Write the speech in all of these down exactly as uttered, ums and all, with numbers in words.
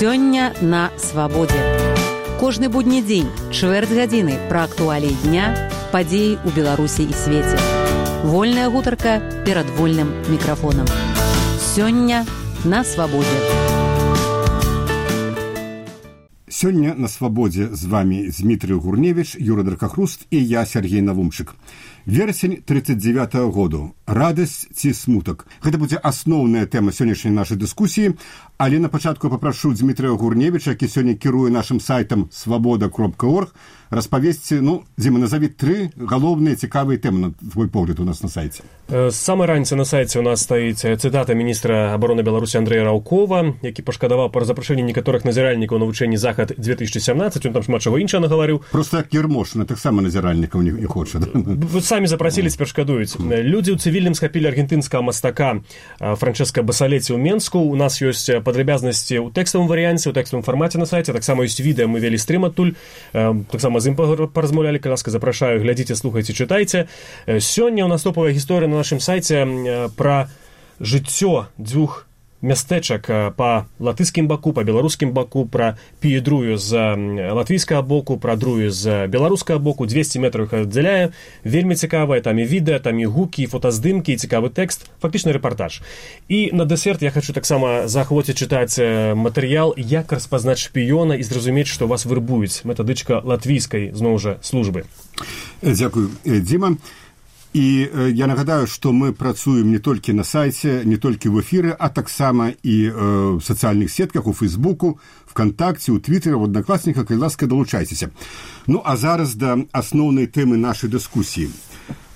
Сёння на свабодзе. Кожны будні дзень, чвэрць гадзіны пра актуаліі дня, падзеі ў Беларусі і свеце. Вольная гутарка перад вольным мікрафонам. Сёння на свабодзе. Сёння на свабодзе з вами Дмітрый Гурневіч, Юра Дракахруст і я, Сергей Навумчык. Верасень тридцать девятого году. Радасць ці смутак. Гэта будзе асноўная тэма сённяшняй нашай дыскусіі, але на пачатку папрашу Дмітрыя Гурневіча, які сёння кіруе нашым сайтам свабода кропка орг, распавесці, ну, Дзіма, назаві тры галоўныя цікавыя тэмы, на твой погляд, у нас на сайце. З самай раніцы на сайце у нас стаіць цытата міністра абароны Беларусі Андрэя Раўкова, які пашкадаваў пра запрашэнне некаторых назіральнікаў на вучэнні «Захад две тысячи семнадцать», он там шмат чаго іншага гаварыў. Просто як Ермошына, таксама назіральнікаў не, не хоча. Да? Вы самі запрасілі, цяпер шкадуюць. Людзі ў цывільным схапілі аргентынскага мастака Франчэска Басалеці ў Менску. У нас ёсць падрабязнасці ў тэкставым варыянце, ў тэкставым фармаце на сайце, таксама ёсць відэа, мы вялі стрым адтуль, таксама з ім паразмаўлялі, калі ласка, запрашаю, глядзіце, слухайце, чытайце. Сёння ў нас топавая гісторыя на нашым сайце пра жыццё дзвюх мястэчак па латышскім баку, па беларускім баку, пра піедрую з латвійскага боку, пра друю з беларускага боку, двести метраў іх аддзяляе. Вельмі цікавае, там і відэа, там і гукі, і фотаздымкі, і цікавы тэкст, фактычна рэпартаж. І на дэсерт я хочу таксама заахвоціць чытаць матэрыял «Як распазнаць шпіёна» і зразумець, што вас вырбуюць. Метадычка латвійскай, зноў жа, службы. Дзякую, Дзіма. І я нагадаю, што мы працуем не толькі на сайце, не толькі в эфіры, а таксама і э, в сацыяльных сетках, у Фейсбуку, ВКонтакце, у Твиттері, в Одноклассниках, калі ласка, далучайцеся. Ну, а зараз да асноўнай тэмы нашай дыскусіі.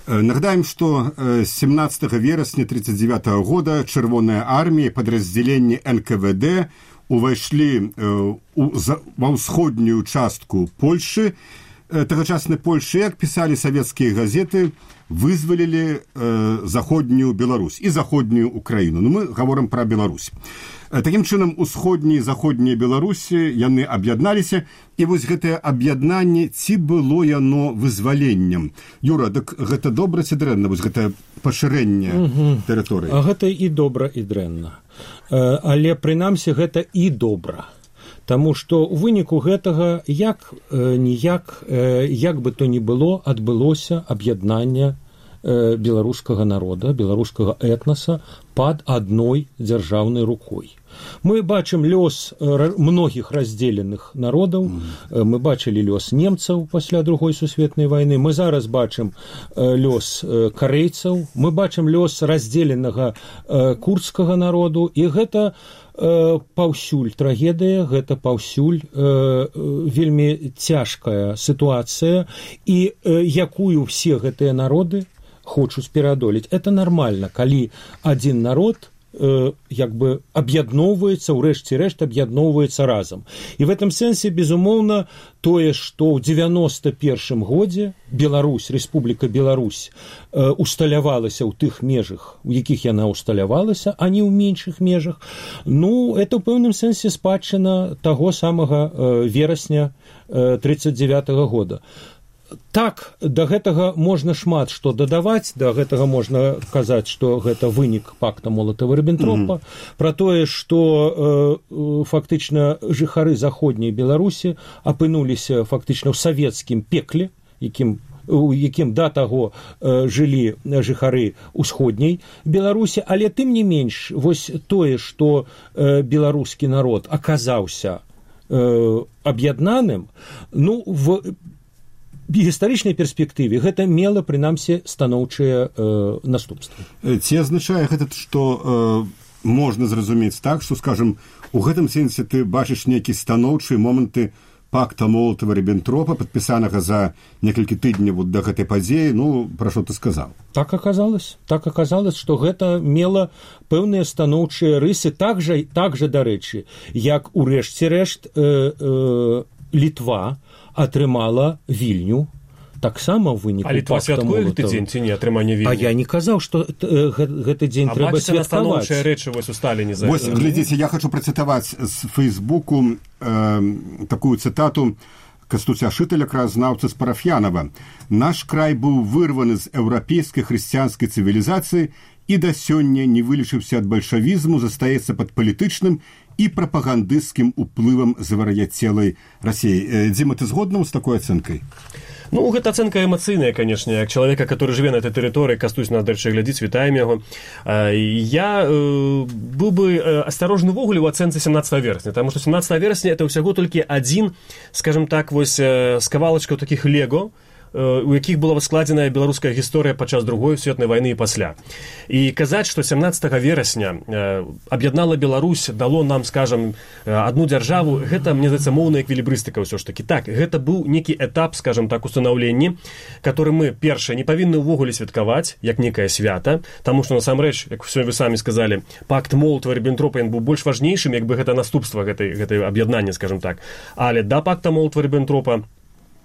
Э, нагадаем, што э, семнадцатого верасня тридцать девятого года Чырвоная армія, падраздзяленні эн ка вэ дэ увайшлі э, у, за, ва ўсходнюю частку Польшы. Э, тагачаснай Польшы, як пісалі савецкія газеты, вызвалілі э, заходнюю Беларусь і заходнюю Украіну. Ну, мы гаворым пра Беларусь. Э, такім чынам, усходнія і заходнія Беларусі, яны аб'ядналіся, і вось гэтае аб'яднанне, ці было яно вызваленнем? Юра, дык гэта добра ці дрэнна, вось гэтае пашырэнне угу. тэрыторыі? А гэта і добра, і дрэнна. Э, але, прынамсі, гэта і добра. Таму што ў выніку гэтага як э, ніяк, э, як бы то ні было, адбылося аб'яднанне э, беларускага народа, беларускага этнаса пад адной дзяржаўнай рукой. Мы бачым лёс э, многіх раздзеленых народаў, э, мы бачылі лёс немцаў пасля другой сусветнай вайны, мы зараз бачым э, лёс э, карэйцаў, мы бачым лёс раздзеленага э, курдскага народу, і гэта паўсюль трагедыя, гэта паўсюль э, вельмі цяжкая сітуацыя, і э, якую все гэтыя народы хочуць пераадолець. Это нармальна, калі адзін народ э, як бы аб'ядноўваецца, ўрэшце рэшт аб'ядноўваецца разам. І в этом сэнсе, безумоўна, тое, што ў девяносто першым годзе Беларусь, Рэспубліка Беларусь э, усталявалася ў тых межах, у якіх яна усталявалася, а не ў меншых межах, ну, это ў пэўным сэнсе спадчына таго самага э, верасня э, тридцать девятого года. Так, да гэтага можна шмат што дадаваць, да гэтага можна казаць, што гэта вынік пакта Молатава-Ріббентропа, mm-hmm. пра тое, што э, фактычна жыхары заходняй Беларусі апынуліся фактычна ў савецкім пекле, якім у якім да таго э, жылі жыхары ўсходняй Беларусі, але тым не менш, вось тое, што э, беларускі народ аказаўся э, аб'яднаным, ну, в гістарычнай перспектыве гэта мела, прынамсі, станоўчыя э, наступствы. Ці азначае гэта, што э, можна зразумець так, што, скажем, у гэтым сэнсе ты бачыш нейкія станоўчыя моманты пакта Молатава-Ріббентропа, падпісанага за некалькі тыдняў вот да гэтай падзеі, ну, пра што ты сказаў? Так аказалось. Так аказалось, што гэта мела пэўныя станоўчыя рысы, так жа, так жа, дарэчы, як у рэшце рэшт э, э, Літва атрымала Вільню, таксама ў выніку пакта Молатава. А Літва святкуе гэты дзень ці не, атрыманне Вільні? А я не казаў, што э, гэты дзень а трэба святкаваць. А бачыце настаноўчыя рэчы вось у Сталіне? За... Вось, глядзіце, я хочу працытаваць з Фейсбуку э, такую цытату Кастуця Шыталя, краязнаўцы з Парафьянова. «Наш край быў вырваны з еўрапейскай хрысціянскай цывілізацыі і да сёння не вылечыўся ад бальшавізму, застаецца пад палітычным і прапагандысцкім уплывам завар'яцелай Расіі. Дзіма, ты згодна з такой ацэнкай? Ну, гэта ацэнка эмацыйная, канешне, як чалавека, который жыве на этой тэрыторыі, Кастусь нас, дарэчы, глядзіць, вітаем яго. Я э, быў бы асцярожны ввогуле ў ацэнцы семнадцатага верасня, таму што семнадцатага верасня это ўсяго толькі адзін, скажем так, вось з кавалачкаў такіх лего, у якіх была складзеная беларуская гісторыя падчас другой светнай вайны і пасля. І казаць, што семнадцатага верасня аб'яднала Беларусь, дало нам, скажем, адну дзяржаву, гэта, мне здаецца, моўная эквілібрыстыка ўсё ж такі. Так, гэта быў некі этап, скажем так, устанаўлення, который мы, першае, не павінны ўвогуле святкаваць, як некае свята, таму што, насамрэч, як вы самі сказалі, пакт Молатава-Ріббентропа быў больш важнейшым, як бы гэта наступства гэтай, гэтай аб'яднання, скажем так. Але да пакта Молатава-Ріббентропа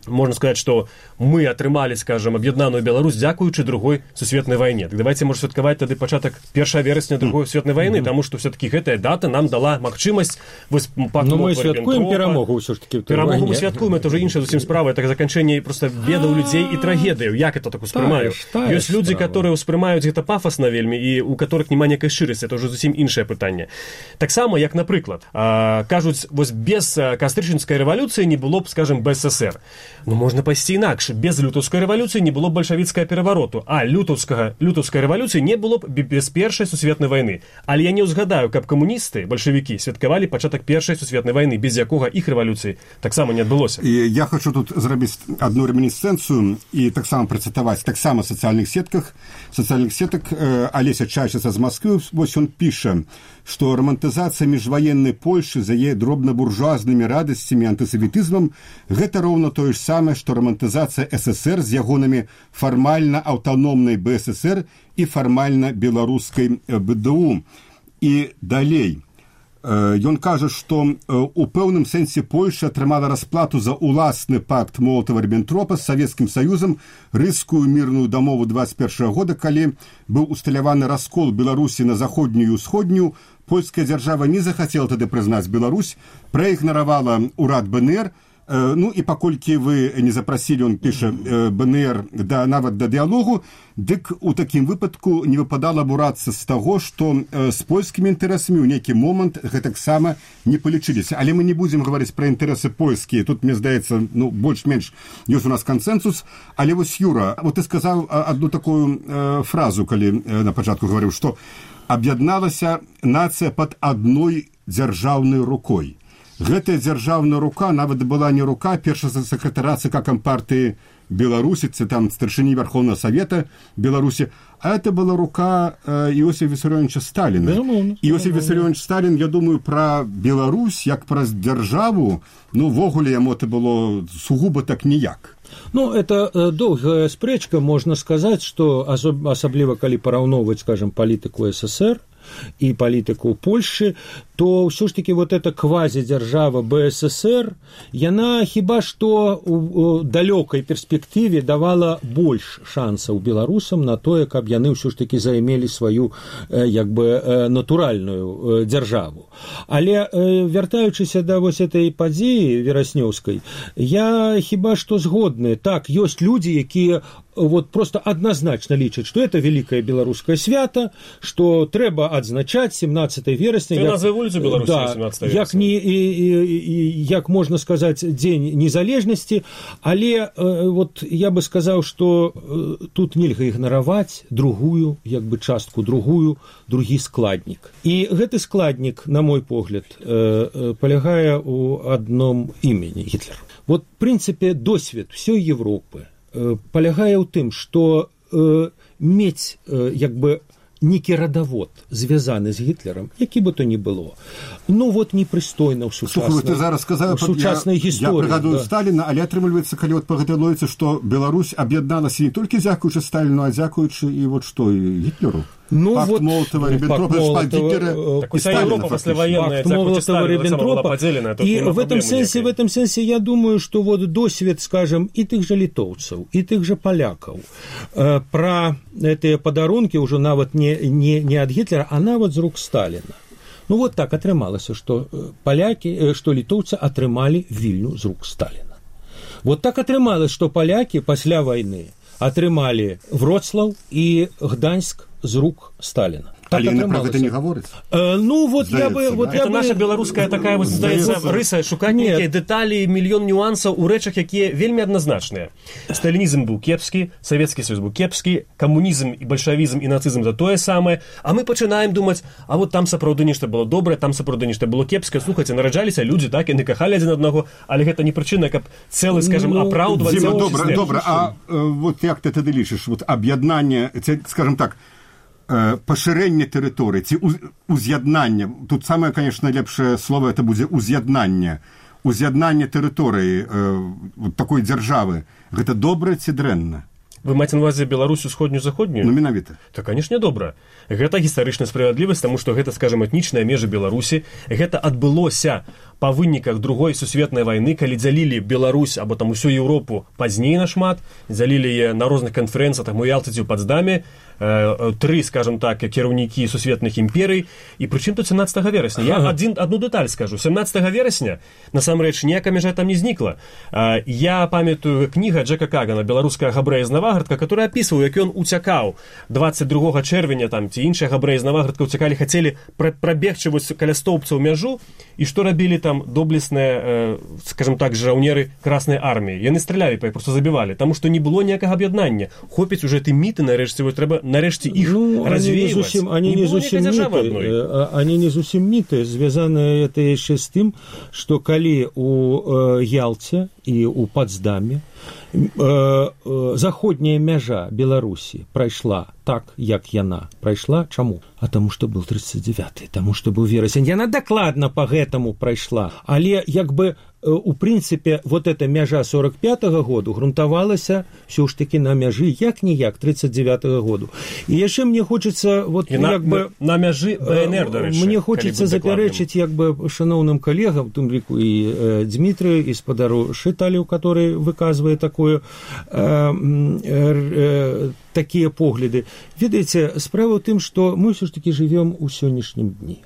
можно сказать, что мы атрымалі, скажем, аб'яднаную Беларусь дзякуючы другой сусветнай вайне. Так давайте, может, святкаваць тады пачатак першага верасня другой сусветнай вайны, mm-hmm. таму што все-таки гэтая дата нам дала магчымасць вось пакту. Ну, мы святкуем перамогу ўсё ж таки. Перамогу мы святкуем, это уже іншая зусім справа, это заканчэнне просто ведаў людзей і трагедыяў. Як это так успрымаю? Ёсць людзі, которые успрымаюць гэта пафасна вельмі і у которых няма некай шчырасці, это уже зусім іншае пытанне. Таксама, як, напрыклад, кажуць, вось без кастрычніцкай рэвалюцыі не было б, скажем, БССР. Ну, можна пайсці інакш. Без лютаўскай рэвалюцыі не было б бальшавіцкага перавароту, а лютаўскага лютаўскай рэвалюцыі не было б без першай сусветнай вайны. Але я не ўзгадаю, каб камуністы, бальшавікі святкавалі пачатак першай сусветнай вайны, без якога іх рэвалюцыі таксама не адбылося. І я хочу тут зрабіць одну ремінісцэнцыю і таксама працытаваць таксама сацыяльных сетках, сацыяльных сетак Алеся Чайчыца з Москвы, вось он піша, што романтызацыя міжваеннай Польшы за яе дробна-буржуазнымі радасцямі антысаветызмам гэта роўна тое ж самае, што романтызацыя СССР з ягонамі фармальна аўтаномнай БССР і фармальна беларускай БДУ. І далей. Ён кажа, што у пэўным сэнсе Польша атрымала расплату за ўласны пакт Молатава-Ріббентропа з Савецкім Саюзам, рыскую мірную дамову двадцать першага года, калі быў усталяваны раскол Беларусі на заходнюю і ўсходнюю. Польская дзяржава не захацела тады прызнаць Беларусь, праігнаравала ўрад БНР. Ну і паколькі вы не запрасілі, он піша, БНР да, нават да дыялогу, дык у такім выпадку не выпадала бурацца з таго, што з польскімі інтарэсамі ў нейкі момант гэтаксама не палічыліся. Але мы не будзем гаварыць пра інтарэсы польскія. Тут, мне здаецца, ну, больш-менш ёсць у нас кансэнсус. Але вось, Юра, вот ты сказаў адну такую э, фразу, калі э, на пачатку гаварыў, што аб'ядналася нацыя пад адной дзяржаўнай рукой. Гэтая дзяржаўная рука нават была не рука першага сакратара ЦК Кампартыі Беларусі, це там старшыні Верховного Совета Беларусі, а это была рука э, Иосифа Виссарионовича Сталина. Безумовно. Иосиф Виссарионович Сталин, я думаю, про Беларусь, як про державу, ну, вогуле яму это было сугубо так ніяк. Ну, это э, доўгая спрэчка, можна сказаць, што асабліва калі параўноўваць, скажем, палітыку СССР и палітыку Польши, то ўсё ж таки вот эта квазідзяржава БССР, яна хіба што у далёкай перспектыве давала больш шансаў беларусам на тое, каб яны ўсё ж таки займелі сваю як бы натуральную дзяржаву. Але вяртаючыся да вось этой падзеі вераснёўскай, я хіба што згодны. Так, ёсць людзі, якія вот просто однозначно лічаць, што это великое беларускае свята, што трэба адзначаць семнадцатага верасня. Це назва вуліцу Беларусі, да, семнадцатага як, не, і, і, і, як можна сказаць, дзень незалежнасці, але э, вот я бы сказаў, што э, тут нельга ігнараваць другую, як бы частку, другую, другі складнік. І гэты складнік, на мой погляд, э, э, палягае ў адном імені Гітлер. Вот, в прынцыпе, досвед всёй Европы палягае ў тым, што э, мець э, як бы некі радавод звязаны з Гітлерам, які бы то ні было, ну вот непрыстойна ў сучаснай, Слухай, ты зараз сказаў, сучаснай я, гісторыі. Я прыгадую да. Сталіна, але атрымліваецца, калі от па гэтай логіцы, што Беларусь аб'ядналася не толькі дзякуючы Сталіну, а дзякуючы і вот што, і Гітлеру. Ну, пакт вот, Молотова-Риббентропа, Молотова-Риббентропа. И в этом сенсе, в этом сенсе я думаю, что вот досвед, скажем, и тех же литовцев, и тех же поляков э, про эти подарунки уже нават не, не, не от Гитлера, а нават з рук Сталина. Ну вот так атрымалася, что поляки, что литовцы атрымали Вильню з рук Сталина. Вот так атрымалось, что поляки пасля войны атрымалі Вроцлаў і Гданьск з рук Сталіна. Але яны пра гэта не гавораць? Э, ну, вот Здаецца, я бы... да? Вот это я наша бы... беларуская такая, вот, здаецца, рыса, шукаць нейкія дэталі, мільён нюансаў у рэчах, якія вельмі адназначныя. Сталінізм быў кепскі, Савецкі Союз быў кепскі, камунізм і бальшавізм і нацызм за тое самае, а мы пачынаем думаць, а вот там сапраўды нешта было добрае, там сапраўды нешта было кепскае. Слухайце, нараджаліся людзі, так, яны кахалі адзін аднаго, але гэта не прычына, каб цэлы, скажем, ну, апраўдваць... Дзіма, добра, добра, а э, вот як ты тады лічыш, вот аб'яднанне, скажем так, пашырэнне тэрыторыі ці уз'яднанне, тут самае, конечно, лепшае слово это будзе уз'яднанне, уз'яднанне тэрыторыі э, такой дзяржавы, гэта добра ці дрэнна? Вы маеце на ўвазе Беларусь усходнюю-заходнюю? Ну, менавіта. Так, канешне, добра. Гэта гістарычная справядлівасць, таму што гэта, скажем, этнічныя межы Беларусі. Гэта адбылося па выніках другой сусветнай вайны, калі дзялілі Беларусь або там усю Еўропу пазней нашмат, дзялілі яе на розных канферэнцыях, там у Ялце ці ў Потсдаме, э, тры, скажем так, кіраўнікі сусветных імперый. І прычым тут сямнаццатага верасня. Я адзін, адну дэталь скажу. сямнаццатага верасня, насамрэч, ніякая мяжа там не знікла. Э, я памятаю кніга Джека Кагана «Беларуская габрэя з Наваградка», который опісваў, як ён уцякаў двадцать другога чэрвеня, там, ці іншыя габрэі з Наваградка уцякалі, хацелі прабегчы вось каля стоўбцаў мяжу, і што рабілі там доблесныя, э, скажем так, жаўнеры Краснай арміі. Яны стралялі, па іх просто забівалі, таму што не было ніякага аб'яднання. Хопіць уже ты міты, нарэшце, вот трэба нарэшце іх ну, развеивать. Они не зусім міты, они не зусім міты, звязаны это яшчэ з тым, што калі у э, Ялце і у Потсдаме заходняя мяжа Беларусі прайшла так, як яна прайшла. Чаму? А таму, што быў тридцать девяты, таму, што быў верасень. Яна дакладна па гэтаму прайшла. Але, як бы, у прынцыпе, вот эта мяжа сорок пятага году грунтавалася ўсё ж такі на мяжы як-ніяк тридцать девятага году. І яшчэ мне хочацца... Вот, на, як бы, на мяжы БНР, дарэчы. Мне хочацца запярэчыць, як бы, шаноўным калегам, в тым ліку і э, Дмітрыю, і спадару Шыталю, который выказвае такое, э, э, такія погляды. Ведаеце, справа ў тым, што мы ўсё ж такі жывём у сённяшнім дні.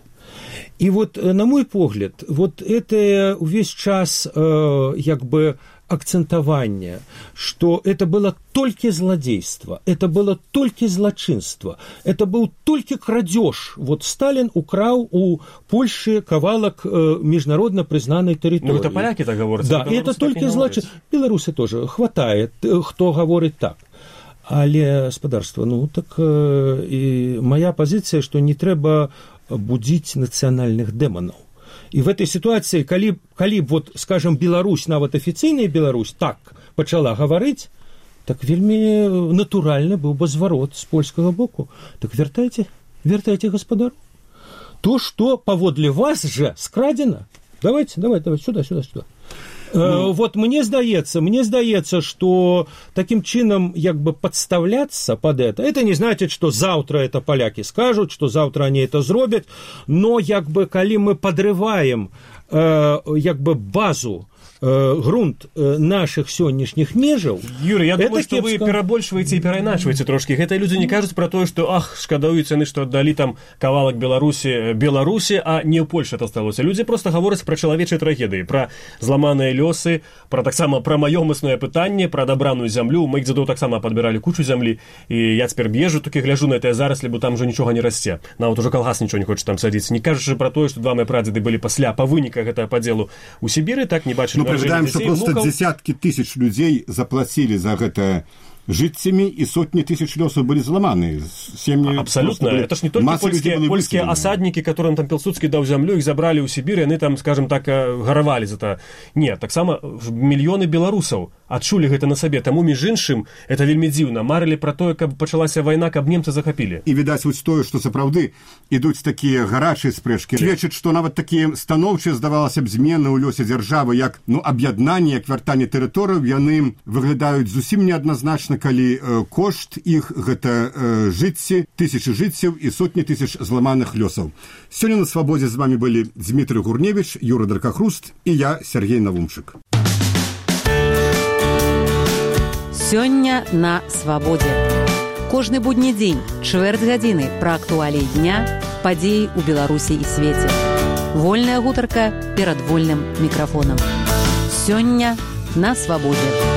И вот, на мой погляд, вот это весь час э, як бы акцентование, что это было только злодейство, это было только злочинство, это был только крадеж. Вот Сталин украл у Польши кавалок э, международно признанной территории. Ну, это поляки так говорят. Да, это только злочинство. Белорусы тоже хватает, кто говорит так. Але, спадарства, ну, так э, и моя позиция, что не трэба будзіць нацыянальных дэманаў. І в этой ситуации, калі, калі вот, скажем, Беларусь, нават афіцыйная Беларусь, так пачала гаварыць, так вельмі натуральны быў бы зварот з польскага боку. Так вяртайце, вяртайце гаспадару. То, что паводле вас же скрадзена. Давайте, давайте, давайте, сюда, сюда, сюда. Ну, вот мне здаецца, мне здаецца, что таким чином як бы подставляться под это, это не значит, что завтра это поляки скажут, что завтра они это зробят, но як бы калі мы подрываем э, як бы базу, э, грунт э, наших сённяшніх межаў. Юрий, я думаю, что кепска. Вы перабольшваеце и перайначваеце трошки. Гэта люди не кажуць про тое, что ах, шкадаюць яны, што аддалі там кавалак Беларусі Беларусі, а не ў Польше это сталося. Люди просто гавораць про чалавечыя трагедыі, про зламаныя лёсы, про таксама про маёмаснае пытанне, про дабраную зямлю. Мы іх дзедоў таксама падбіралі кучу зямлі, і я цяпер езжу, такі гляжу на гэтыя зараслі, бо там уже нічога не расце. Нават уже калгас нічого не хоча там садіць. Не кажучы про тое, што два мае прадзеды былі пасля па выніках гэтага падзелу у Сібіры, так не бачылі. Ну, прыгадаем, што проста внукаў. Дзесяткі тысяч людзей заплацілі за гэта жыццямі, і сотні тысяч лёсаў былі зламаны. Сем'і абсолютно. Это ж не только польские, польские осадники, которым там Пилсудский дал землю, их забрали у Сибири, они там, скажем так, гаравали за это. Нет, так само миллионы белорусов адчулі гэта на сабе. Таму, між іншым, это вельмі дзіўна. Марылі пра тое, каб пачалася вайна, каб немцы захапілі. І, відаць, вось тое, што сапраўды ідуць такія гарачыя спрэчкі, сведчыць, што нават такія станоўчыя, здавалася б, змены ў лёсе дзяржавы, як, ну, аб'яднанне, як вяртанне тэрыторыяў, яны выглядаюць зусім неадназначна, калі э, кошт іх гэта э, жыцці, тысячы жыццяў і сотні тысяч зламаных лёсаў. Сёння на свабодзе з вамі былі Дмітрый Гурневіч, Юра Дракахруст і я, Сергей Навумчык. Сёння на свабодзе. Кожны будні дзень, чвэрць гадзіны пра актуаліі дня, падзеі ў Беларусі і свеце. Вольная гутарка перад вольным мікрафонам. Сёння на свабодзе.